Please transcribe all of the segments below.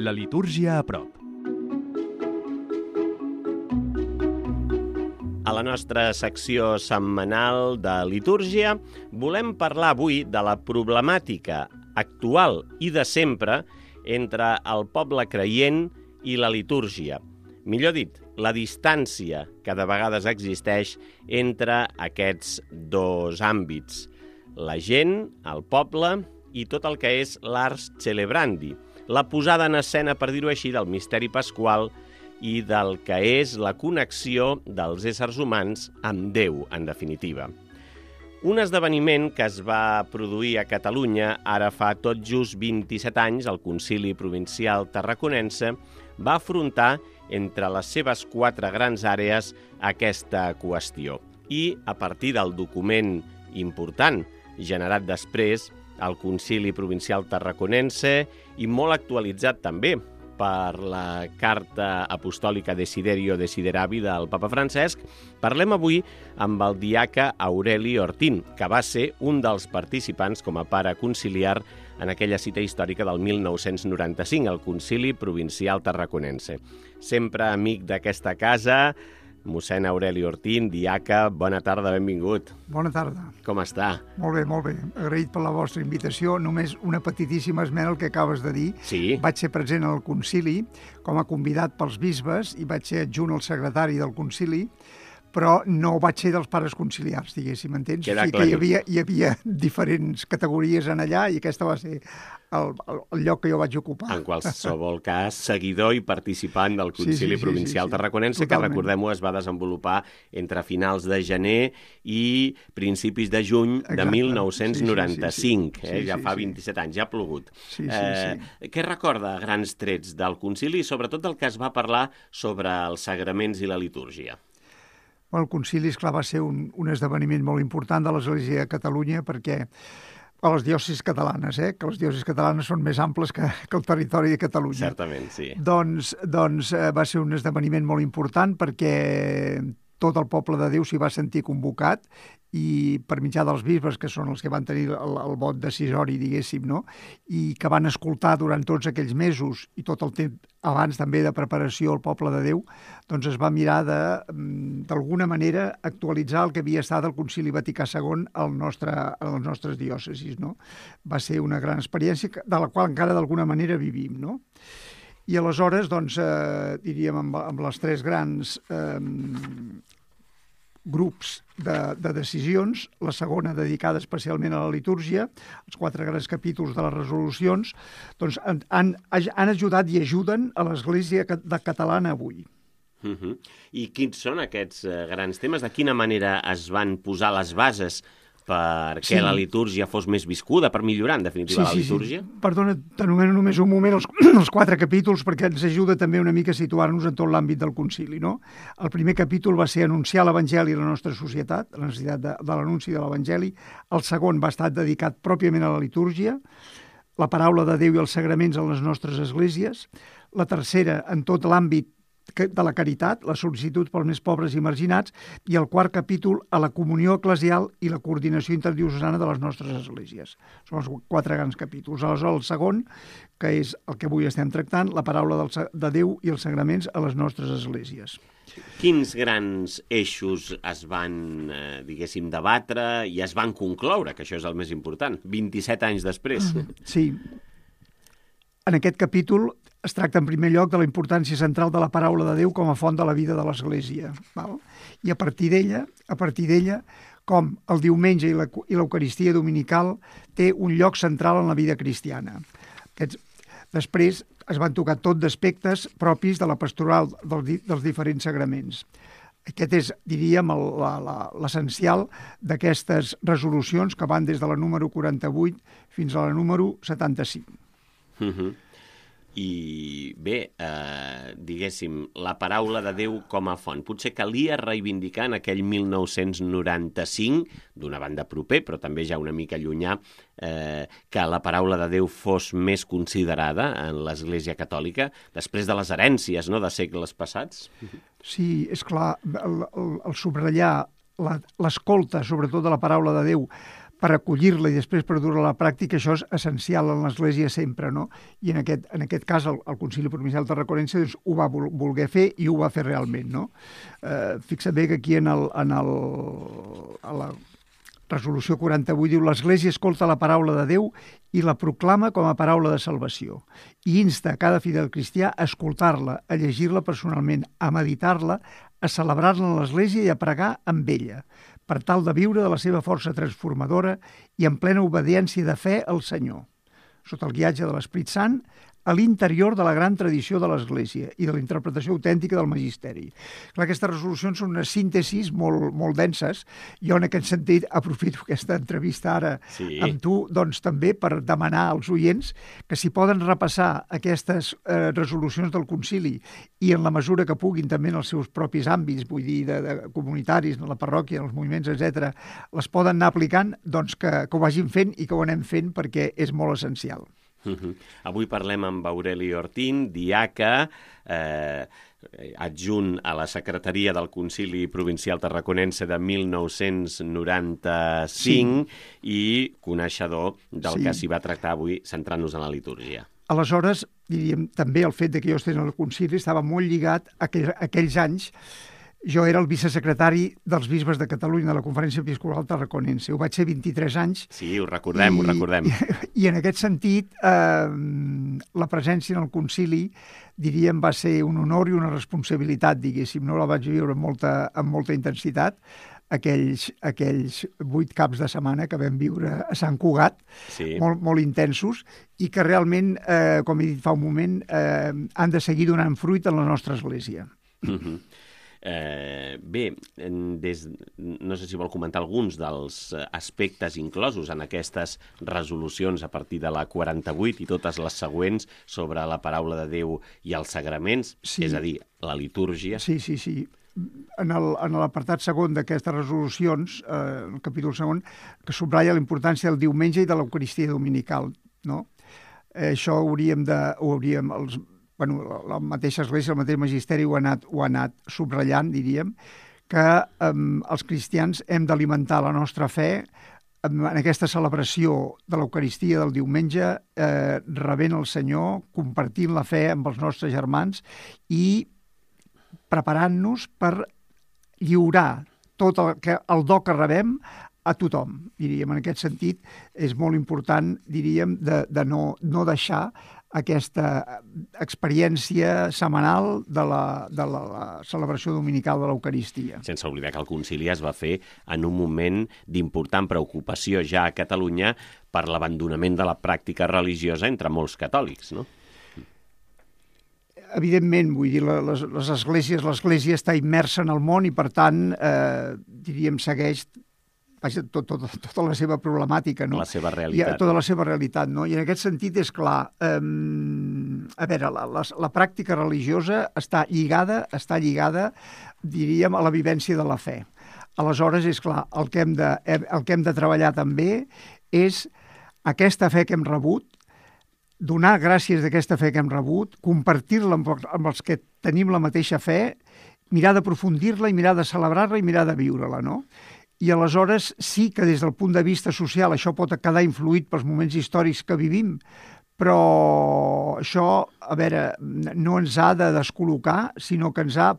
La litúrgia a prop. A la nostra secció setmanal de litúrgia volem parlar avui de la problemàtica actual i de sempre entre el poble creient i la litúrgia. Millor dit, la distància que de vegades existeix entre aquests dos àmbits. La gent, el poble i tot el que és l'ars celebrandi, la posada en escena, per dir-ho així, del misteri pasqual i del que és la connexió dels éssers humans amb Déu, en definitiva. Un esdeveniment que es va produir a Catalunya ara fa tot just 27 anys, el Concili Provincial Tarraconense, va afrontar entre les seves 4 grans àrees aquesta qüestió. I a partir del document important generat després, el Concili Provincial Tarraconense, i molt actualitzat també per la Carta Apostòlica Desiderio Desideravi del Papa Francesc, parlem avui amb el diaca Aureli Ortín, que va ser un dels participants com a pare conciliar en aquella cita històrica del 1995, el Concili Provincial Tarraconense. Sempre amic d'aquesta casa, mossèn Aureli Ortín, diaca, bona tarda, benvingut. Bona tarda. Com està? Molt bé, molt bé. Agraït per la vostra invitació. Només una petitíssima esmena al que acabes de dir. Sí. Vaig ser present al concili com a convidat pels bisbes i vaig ser adjunt al secretari del concili, però no vaig ser dels pares conciliars, diguéssim, entens? Queda o sigui que hi havia diferents categories en allà i aquesta va ser el lloc que jo vaig ocupar. En qualsevol cas, seguidor i participant del Concili Provincial Tarraconense, que, recordem-ho, es va desenvolupar entre finals de gener i principis de juny de 1995. Ja fa 27 anys, ja ha plogut. Què recorda a grans trets del concili i sobretot del que es va parlar sobre els sagraments i la litúrgia? El concili, esclar, va ser un esdeveniment molt important de l'Església de Catalunya perquè a les diòcesis catalanes, que les diòcesis catalanes són més amples que el territori de Catalunya. Certament, sí. Doncs va ser un esdeveniment molt important perquè tot el poble de Déu s'hi va sentir convocat i per mitjà dels bisbes, que són els que van tenir el vot decisori, diguéssim, no? I que van escoltar durant tots aquells mesos i tot el temps abans també de preparació al poble de Déu, doncs es va mirar d'alguna manera actualitzar el que havia estat el Concili Vaticà II a les nostres diòcesis, no? Va ser una gran experiència de la qual encara d'alguna manera vivim, no? I aleshores, doncs, diríem, amb les 3 grans grups de decisions, la segona dedicada especialment a la litúrgia, els 4 grans capítols de les resolucions, doncs han ajudat i ajuden a l'Església catalana avui. I quins són aquests grans temes? De quina manera es van posar les bases perquè la litúrgia fos més viscuda, per millorar, en definitiva, la litúrgia? Perdona, t'anomeno només un moment els 4 capítols perquè ens ajuda també una mica a situar-nos en tot l'àmbit del concili, no? El primer capítol va ser anunciar l'Evangeli a la nostra societat, la necessitat de l'anunci de l'Evangeli. El segon va estar dedicat pròpiament a la litúrgia, la paraula de Déu i els sagraments en les nostres esglésies. La tercera, en tot l'àmbit de la caritat, la sol·licitud pels més pobres i marginats, i el 4 capítol a la comunió eclesial i la coordinació interdiocesana de les nostres esglésies. Són els 4 grans capítols. Aleshores, el segon, que és el que avui estem tractant, la paraula de Déu i els sagraments a les nostres esglésies. Quins grans eixos es van, diguéssim, debatre i es van concloure, que això és el més important, 27 anys després? Sí. En aquest capítol es tracta en primer lloc de la importància central de la paraula de Déu com a font de la vida de l'Església. I a partir d'ella, com el diumenge i l'Eucaristia dominical té un lloc central en la vida cristiana. Després es van tocar tot d'aspectes propis de la pastoral dels diferents sagraments. Aquest és, diríem, l'essencial d'aquestes resolucions que van des de la número 48 fins a la número 75. I bé, diguéssim, la paraula de Déu com a font. Potser calia reivindicar en aquell 1995, d'una banda proper, però també ja una mica llunyà, que la paraula de Déu fos més considerada en l'Església Catòlica, després de les herències, no?, de segles passats. Sí, és clar, el subratllar l'escolta, sobretot de la paraula de Déu, per acollir-la i després per dur-la a la pràctica, això és essencial en l'Església sempre, no? I en aquest cas el Concili Provincial Tarraconense doncs, ho va voler fer i ho va fer realment, no? Fixa't bé que aquí a la resolució 48 diu l'Església escolta la paraula de Déu i la proclama com a paraula de salvació i insta a cada fidel cristià a escoltar-la, a llegir-la personalment, a meditar-la, a celebrar-la en l'Església i a pregar amb ella, per tal de viure de la seva força transformadora i en plena obediència de fe al Senyor, sota el guiatge de l'Esperit Sant, a l'interior de la gran tradició de l'Església i de la interpretació autèntica del Magisteri. Clar, aquestes resolucions són unes síntesis molt denses. Jo, en aquest sentit, aprofito aquesta entrevista ara amb tu, doncs també per demanar als oients que si poden repassar aquestes resolucions del concili i en la mesura que puguin també en els seus propis àmbits, vull dir, de comunitaris, en la parròquia, en els moviments, etc., les poden anar aplicant, doncs que ho vagin fent i que ho anem fent perquè és molt essencial. Avui parlem amb Aureli Ortín, diaca, adjunt a la secretaria del Concili Provincial Tarraconense de 1995 i coneixedor del que s'hi va tractar avui, centrant-nos en la litúrgia. Aleshores, diríem, també el fet que jo estigués al concili estava molt lligat a aquells anys. Jo era el vicesecretari dels bisbes de Catalunya de la Conferència Episcopal Tarraconense. Ho vaig ser 23 anys. Sí, ho recordem. I en aquest sentit, la presència en el concili, diríem, va ser un honor i una responsabilitat, diguéssim. No la vaig viure amb molta intensitat, aquells 8 caps de setmana que vam viure a Sant Cugat, molt intensos, i que realment, com he dit fa un moment, han de seguir donant fruit en la nostra església. Bé, no sé si vol comentar alguns dels aspectes inclosos en aquestes resolucions a partir de la 48 i totes les següents sobre la paraula de Déu i els sagraments, és a dir, la litúrgia. Sí. En l'apartat segon d'aquestes resolucions, el capítol segon, que subratlla la importància del diumenge i de l'Eucaristia dominical, no? Això la mateixa Església, el mateix Magisteri ho ha anat subratllant, diríem, que els cristians hem d'alimentar la nostra fe en aquesta celebració de l'Eucaristia del diumenge, rebent el Senyor, compartint la fe amb els nostres germans i preparant-nos per lliurar tot el do que rebem a tothom, diríem. En aquest sentit, és molt important, diríem, de no deixar aquesta experiència setmanal de la celebració dominical de l'Eucaristia. Sense oblidar que el concili es va fer en un moment d'important preocupació ja a Catalunya per l'abandonament de la pràctica religiosa entre molts catòlics, no? Evidentment, vull dir, l'Església està immersa en el món i, per tant, diríem, segueix tota la seva problemàtica, no? La seva realitat. Tota la seva realitat, no? I en aquest sentit és clar, a veure, la pràctica religiosa està lligada, diríem, a la vivència de la fe. Aleshores, és clar, el que hem de treballar també és aquesta fe que hem rebut, donar gràcies d'aquesta fe que hem rebut, compartir-la amb els que tenim la mateixa fe, mirar d'aprofundir-la i mirar de celebrar-la i mirar de viure-la, no? I aleshores sí que des del punt de vista social això pot quedar influït pels moments històrics que vivim, però això, a veure, no ens ha de descol·locar, sinó que ens ha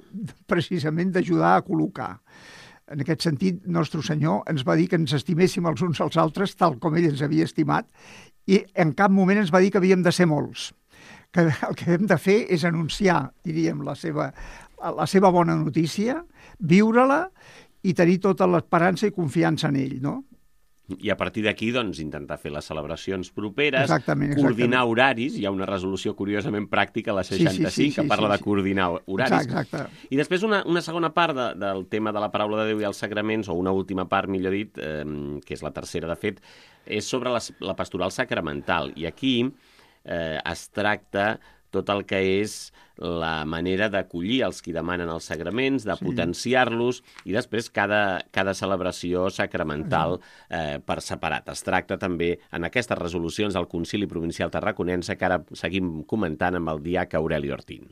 precisament d'ajudar a col·locar. En aquest sentit, Nostre Senyor ens va dir que ens estiméssim els uns als altres tal com ell ens havia estimat i en cap moment ens va dir que havíem de ser molts, que el que hem de fer és anunciar, diríem, la seva bona notícia, viure-la i tenir tota l'esperança i confiança en ell, no? I a partir d'aquí, doncs, intentar fer les celebracions properes, exactament. Coordinar horaris. Hi ha una resolució curiosament pràctica, la 65, que parla de coordinar horaris. Exacte. I després una segona part del tema de la paraula de Déu i els sagraments, o una última part, millor dit, que és la tercera, de fet, és sobre la pastoral sacramental. I aquí es tracta tot el que és la manera d'acollir els qui demanen els sagraments, de potenciar-los, i després cada celebració sacramental per separat. Es tracta també en aquestes resolucions del Concili Provincial Tarraconense, que ara seguim comentant amb el diaca Aureli Ortín.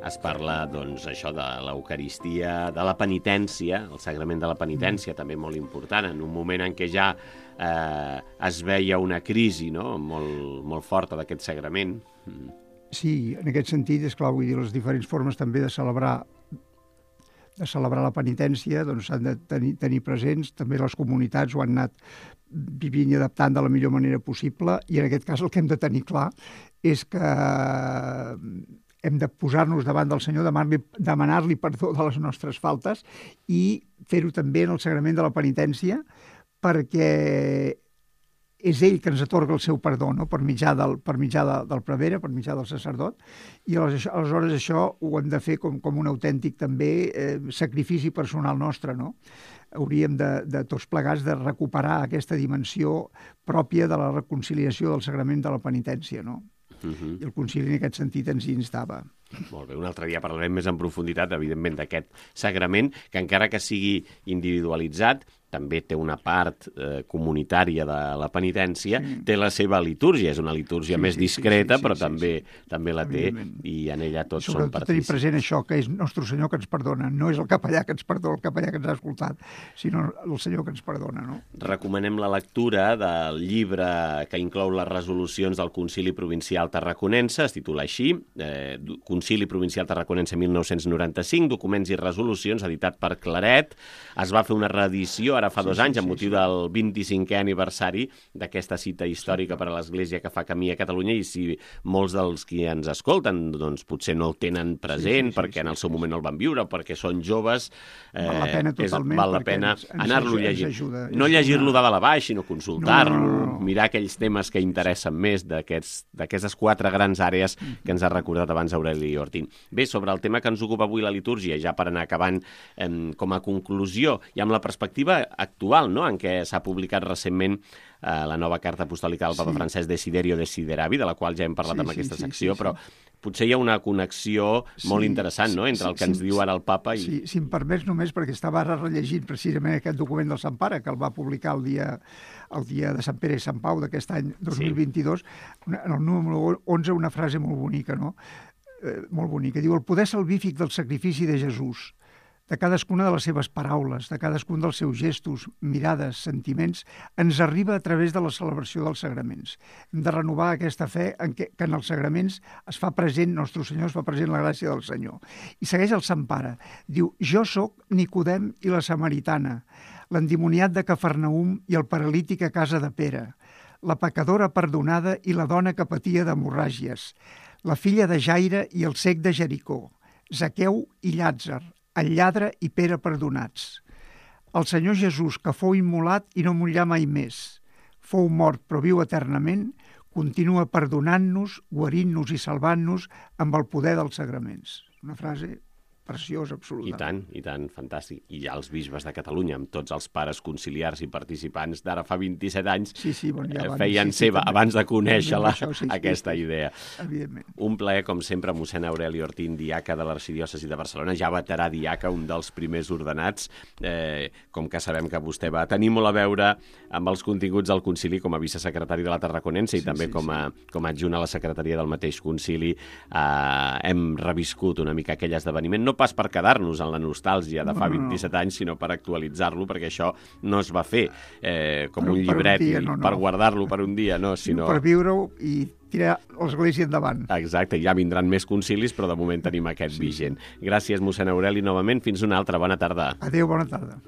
es parla, doncs, això de l'Eucaristia, de la penitència, el sagrament de la penitència, també molt important, en un moment en què ja es veia una crisi, no?, molt forta d'aquest sagrament. Sí, en aquest sentit, és clar, vull dir, les diferents formes també de celebrar la penitència, doncs s'han de tenir presents, també les comunitats ho han anat vivint i adaptant de la millor manera possible, i en aquest cas el que hem de tenir clar és que hem de posar-nos davant del Senyor, demanar-li perdó de les nostres faltes i fer-ho també en el sagrament de la penitència, perquè és ell que ens atorga el seu perdó, no?, per mitjà del prevere, per mitjà del sacerdot, i aleshores això ho hem de fer com un autèntic també sacrifici personal nostre, no? Hauríem de tots plegats de recuperar aquesta dimensió pròpia de la reconciliació del sagrament de la penitència, no? I el concili en aquest sentit ens hi instava. Molt bé, un altre dia parlarem més en profunditat, evidentment, d'aquest sagrament, que encara que sigui individualitzat, també té una part comunitària de la penitència, té la seva litúrgia, és una litúrgia més discreta, però també la té, i en ella tots són partícips. Sobretot tenir present això, que és Nostre Senyor que ens perdona, no és el capellà que ens perdona, el capellà que ens ha escoltat, sinó el Senyor que ens perdona, no? Recomanem la lectura del llibre que inclou les resolucions del Concili Provincial Tarraconense, es titula així, Concili Provincial Tarraconense 1995, documents i resolucions, editat per Claret. Es va fer una reedició ara fa 2 anys, amb motiu del 25è aniversari d'aquesta cita històrica per a l'Església que fa camí a Catalunya, i si molts dels qui ens escolten doncs potser no el tenen present perquè en el seu moment no el van viure o perquè són joves, val la pena totalment, val la pena anar-lo llegint. No llegir-lo de dalt a baix, sinó consultar-lo, mirar aquells temes que interessen més d'aquestes 4 grans àrees que ens ha recordat abans Aureli Ortín. Bé, sobre el tema que ens ocupa avui la litúrgia, ja per anar acabant com a conclusió, i amb la perspectiva actual, no?, en què s'ha publicat recentment la nova carta apostòlica del Papa Francesc Desiderio Desideravi, de la qual ja hem parlat en aquesta secció, però potser hi ha una connexió molt interessant, no?, entre el que ens diu ara el Papa i... Sí, si em permets només, perquè estava ara rellegint precisament aquest document del Sant Pare, que el va publicar el dia de Sant Pere i Sant Pau d'aquest any 2022, en el número 11, una frase molt bonica, no?, molt bonica. Diu: el poder salvífic del sacrifici de Jesús, de cadascuna de les seves paraules, de cadascun dels seus gestos, mirades, sentiments, ens arriba a través de la celebració dels sagraments. Hem de renovar aquesta fe que en els sagraments es fa present, Nostre Senyor, es fa present la gràcia del Senyor. I segueix el Sant Pare. Diu: jo sóc Nicodem i la Samaritana, l'endimoniat de Cafarnaum i el paralític a casa de Pere, la pecadora perdonada i la dona que patia d'hemorràgies, la filla de Jaire i el cec de Jericó, Zaqueu i Llàtzer, el lladre i Pere perdonats. El Senyor Jesús, que fou immolat i no morirà mai més, fou mort però viu eternament, continua perdonant-nos, guarint-nos i salvant-nos amb el poder dels sagraments. Una frase preciós, absolutament. I tant, fantàstic. I ja els bisbes de Catalunya, amb tots els pares conciliars i participants d'ara fa 27 anys, feien seva, abans de conèixer-la, aquesta idea. Evidentment. Un plaer, com sempre, mossèn Aureli Ortín, diaca de l'Arxidiòcesi de Barcelona, ja veterà diaca, un dels primers ordenats, com que sabem que vostè va tenir molt a veure amb els continguts del concili com a vicesecretari de la Tarraconense i també com a adjunt a la secretaria del mateix concili. Hem reviscut una mica aquell esdeveniment, no pas per quedar-nos en la nostàlgia de fa 27 anys, sinó per actualitzar-lo, perquè això no es va fer com un llibret per guardar-lo per un dia, no, sinó... Per viure-ho i tirar l'Església endavant. Exacte, ja vindran més concilis, però de moment tenim aquest vigent. Gràcies, mossèn Aureli, novament. Fins una altra. Bona tarda. Adéu, bona tarda.